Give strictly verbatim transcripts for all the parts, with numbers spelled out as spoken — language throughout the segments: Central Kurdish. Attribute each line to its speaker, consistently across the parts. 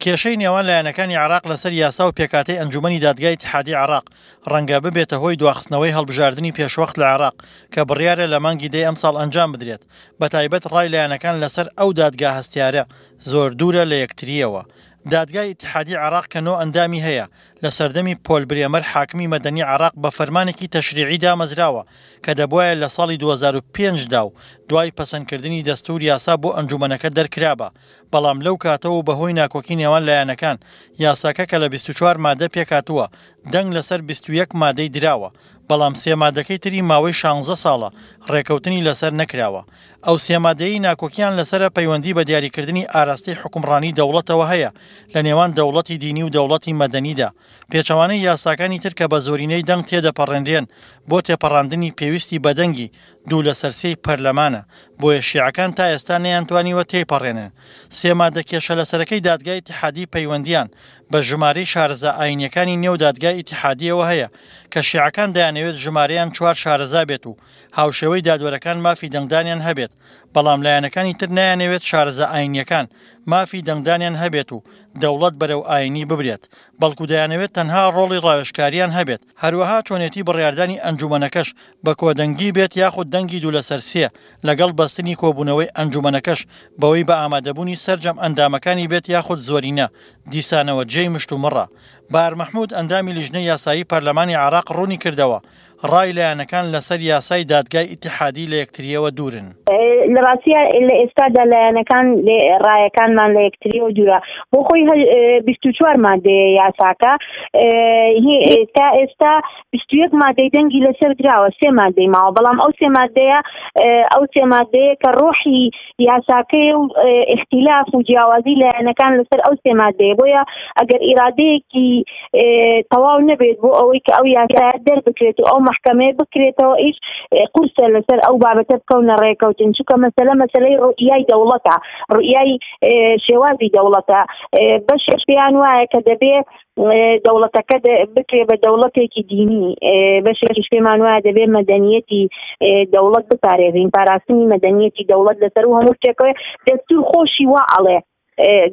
Speaker 1: کێشەی نێوان لایەنەکانی عێراق لەسەر یاسا و پێکهاتەی ئەنجومەنی دادگای ئیتیحادی عێراق ڕەنگە ببێتە هۆی دواخستنەوەی هەڵبژاردنی پێشوەخت لە عێراق کە بڕیارە لە مانگی دەی ئەمساڵ ئەنجام بدرێت، بەتایبەت ڕای لایەنەکان لەسەر ئەو دادگا هەستیارە زۆر دوورە لە یەکترییەوە. دادگای ئیتیحادی عێراق کە نۆ ئەندامی هەیە، لە سەردەمی پۆل برێمەر حاکمی مەدەنی عێراق بە فەرمانێکی تەشریعی دامەزراوە کە دەبوایە لە ساڵی دوو هەزار و پێنج دا و دوای پەسەندکردنی دەستوور یاسا بۆ ئەنجومەنەکە دەرکرابا، بەڵام لەو کاتەوە و بەهۆی ناکۆکی نێوان لایەنەکان یاساکە کە لە بیست و چوار مادە پێکهاتووە دەنگ لەسەر بیست و یەک مادەی دراوە، بەڵام سێ مادەکەی تری ماوەی شانزە ساڵە ڕێکەوتنی لەسەر نەکراوە. ئەو سێ مادەیەی ناکۆکیان لەسەرە پەیوەندی بە دیاریکردنی ئاراستەی حوکمڕانی دەوڵەتەوە هەیە لە نێوان دەوڵەتی دینی و دەوڵەتی مەدەنیدا، پێچەوانەی یاساکانی تر کە بە زۆرینەی دەنگ تێدەپەڕێنرێن، بۆ تێپەڕاندنی پێویستی بە دەنگی دوو لەسەر سێی پەرلەمانە، بۆیە شیعەکان تا ئێستا نەیانتوانیوە تێیپەڕێنن. سێ مادە کێشە لەسەرەکەی دادگای ئیتیحادی پەیوەندیان بە ژمارەی شارەزا ئاینیەکانی نێو دادگای ئیتیحادیەوە هەیە کە شیعەکان دەیانەوێت ژمارەیان چوار شارەزا بێت و هاوشێوەی دادوەرەکان مافی دەنگدانیان هەبێت، بەڵام لایەنەکانی تر نایانەوێت شارەزا ئاینیەکان مافی دەنگدانیان هەبێت و دەوڵەت بەرەو ئاینی ببرێت، بەڵکو دەیانەوێت تەنها ڕۆڵی ڕاوێژکاریان هەبێت. هەروەها چۆنێتی بڕیاردانی ئەنجومەنەکەش بە کۆدەنگی بێت یاخود دەنگی دوو لەسەر سێ، لەگەڵ بەستنی کۆبوونەوەی ئەنجومەنەکەش بەوەی بە ئامادەبوونی سەرجەم ئەندامەکانی بێت یاخود زۆرینە، دیسانەوە جێی مشتومڕە. بار مەحمود ئەندامی لیژنەی یاسایی پەرلەمانی عێراق ڕوونی کردەوە، ڕای لایەنەکان لەسەر یاسای دادگای ئیتیحادی لە یەکترییەوە دوورن.
Speaker 2: لە ڕاستیا لە ئێستادا لایەنەکان ڕایەکانمان لە یەکتریەوە دوورە. بۆ خۆی بیست و چوار مادەیە یاساکە، تا ئێستا بیست و یەک مادەی دەنگی لەسەر دراوە، سێ مادەی ماوە، بەڵام ئەو سێ مادەیە ئەو سێ مادەیە کە ڕۆحی یاساکەی و ئیختیلاف و جیاوازی لایەنەکان لەسەر ئەو سێ مادەیە. بۆیە ئەگەر ئیرادەیەکی تەواو نەبێت بۆ ئەوەی کە ئەو یاسایە دەربکرێت و ئەو مەحکەمەیە بکرێتەوە، ئیش قورسە لەسەر ئەو بابەتە بکەونە ڕێکەوتن، چونکە مەسەلە مەسەلەی ڕوئیای دەوڵەتە، ڕوئیای شێوازی دەوڵەتە. بەشێک پێیان وایە کە دەبێ دەوڵەتەکە بکرێ بە دەوڵەتێکی دینی، بەشێکیش پێمان وایە دەبێ مەدەنیەتی دەوڵەت بپارێزین، پاراستنی مەدەنیەتی دەوڵەت لەسەر و هەموو شتێکەوە. دەستور خۆشی وا ئەڵێ،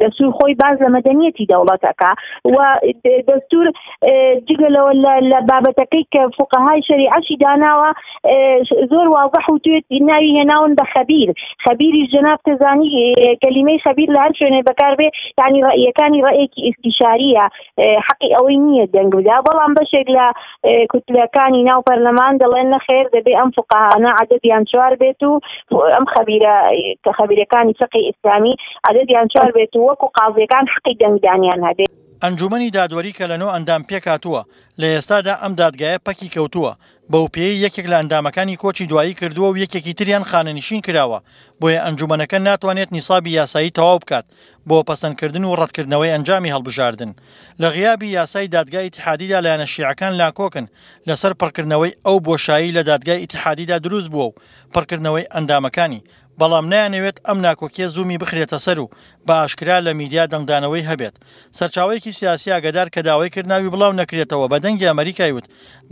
Speaker 2: دەستور خۆی باز لە مەدەنیەتی دەوڵەتەکە و دەستور جگە لەوە لە بابەتەکەی کە فقەهای شەریعەشی داناوە زۆر واضح و توێت ناوی هێناون بە خەبیر. خەبیریش جەناب تەزانی کەلیمەی خەبیر لە هەر شوێنێ بەکاربێ، یعنی ڕەئیەکانی ڕەئیەکی ئیستیشاریە، حەقی ئەوەی نییە دەنگ بدا. بەڵام بەشێک لە کوتلەکانی ناو پەرلەمان دەڵێن نەخێر، دەبێ ئەم فقەهانە عەدەدیان چوار بێت و ئەم خەبیرە کە خەبیرەکانی فقهی ئیسلامی عەدەدیان چوار بێت و وەکو قازیەکان حەقی دەنگدانیان هەبێت.
Speaker 1: ئەنجومەنی دادوەری کە لە نۆ ئەندام پێکهاتووە، لە ئێستادا ئەم دادگایە پەکی کەوتووە، بەو پێیەی یەکێک لە ئەندامەکانی کۆچی دوایی کردووە و یەکێکی تریان خانەنشین کراوە، بۆیە ئەنجومەنەکە ناتوانێت نیسابی یاسایی تەواو بکات بۆ پەسەندکردن و ڕەتکردنەوەی ئەنجامی هەڵبژاردن. لە غیابی یاسای دادگای ئیتیحادیدا لایەنە شیعەکان لاکۆکن لەسەر پڕکردنەوەی ئەو بۆشایی لە دادگای ئیتیحادیدا دروست بووە و پڕکردنەوەی ئەندامەکانی، بەڵام نایانەوێت ئەم ناکۆکیە زوومی بخرێتە سەر و بە ئاشکرا لە میدیا دەنگدانەوەی هەبێت. سەرچاوەیەکی سیاسی ئاگادار کە داوای کرد ناوی بڵاو نەکرێتەوە بە دەنگی ئەمریکای وت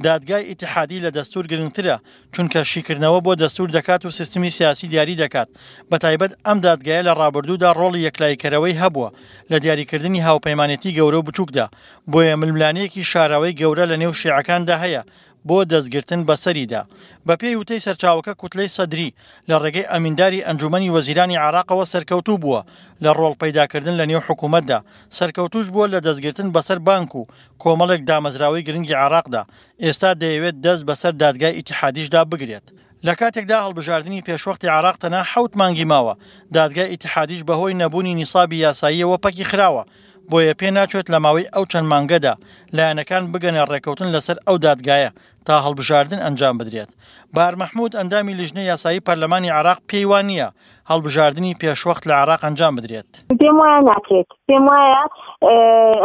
Speaker 1: دادگای ئیتیحادی لە دەستور گرنگترە، چونکە شیکردنەوە بۆ دەستور دەکات و سیستمی سیاسی دیاری دەکات. بەتایبەت ئەم دادگایە لە ڕابردوودا ڕۆڵی یەکلاییکەرەوەی هەبووە لە دیاریکردنی هاوپەیمانێتی گەورە و بچووکدا، بۆیە ململانێیەکی شاراوەی گەورە لە نێو شیعەکاندا هەیە بۆ دەستگرتن بەسەریدا. بەپێی وتەی سەرچاوەکە کوتلەی سەدری لە ڕێگەی ئەمینداری ئەنجومەنی وەزیرانی عێراقەوە سەرکەوتوو بووە لە ڕۆڵ پەیداکردن لە نێو حکوومەتدا، سەرکەوتوش بووە لە دەستگرتن بەسەر بانک و کۆمەڵێک دامەزراوەی گرنگی عێراقدا، ئێستا دەیەوێت دەست بەسەر دادگای ئیتیحادیشدا بگرێت. لە کاتێکدا هەڵبژاردنی پێشوەختی عێراق تەنها حەوت مانگی ماوە، دادگای ئیتیحادیش بەهۆی نەبوونی نیسابی یاساییەوە پەکی خراوە، بۆیە پێ ناچێت لە ماوەی ئەو چەند مانگەدا لایەنەکان بگەنە ڕێکەوتن لەسەر ئەو دادگایە تا هەڵبژاردن ئەنجام بدرێت. بار مەحمود ئەندامی لیژنەی یاسایی پەرلەمانی عێراق پێی وا نییە هەڵبژاردنی پێشوەخت لە عێراق ئەنجام بدرێت.
Speaker 2: پێم وایە ناکرێت، پێم وایە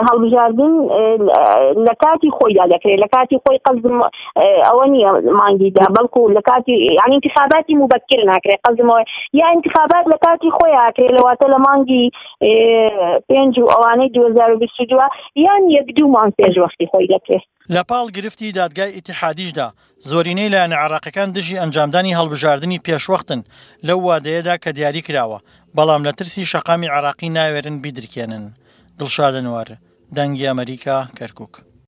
Speaker 2: هەڵبژاردن لە کاتی خۆیدا دەکرێت، لە کاتی خۆی قەزم ئەوە نییە مانگیدا، بەڵکو لە کاتی یعنی انتخاباتی مبەکر ناکرێت، قەزمەوە یا انتخابات لە کاتی خۆی ئاکرێت، لەواتە لە مانگی پێنج و ئەوانەی دوو هەزار و بیست و دوو یان یەک دوو مانگ پێش وەختی خۆی دەکرێت.
Speaker 1: لە پاڵ گرفتی دادگای ئیتیحادیشدا زۆرینەی لایەنە عێراقیەکان دژی ئەنجامدانی هەڵبژاردنی پێشوەختن لەو وادەیەدا کە دیاری کراوە، بەڵام لە ترسی شەقامی عێراقی ناوێرن بیدرکێنن. دڵشاد ئەنوەر، دەنگی ئەمەریکا، کەرکوک.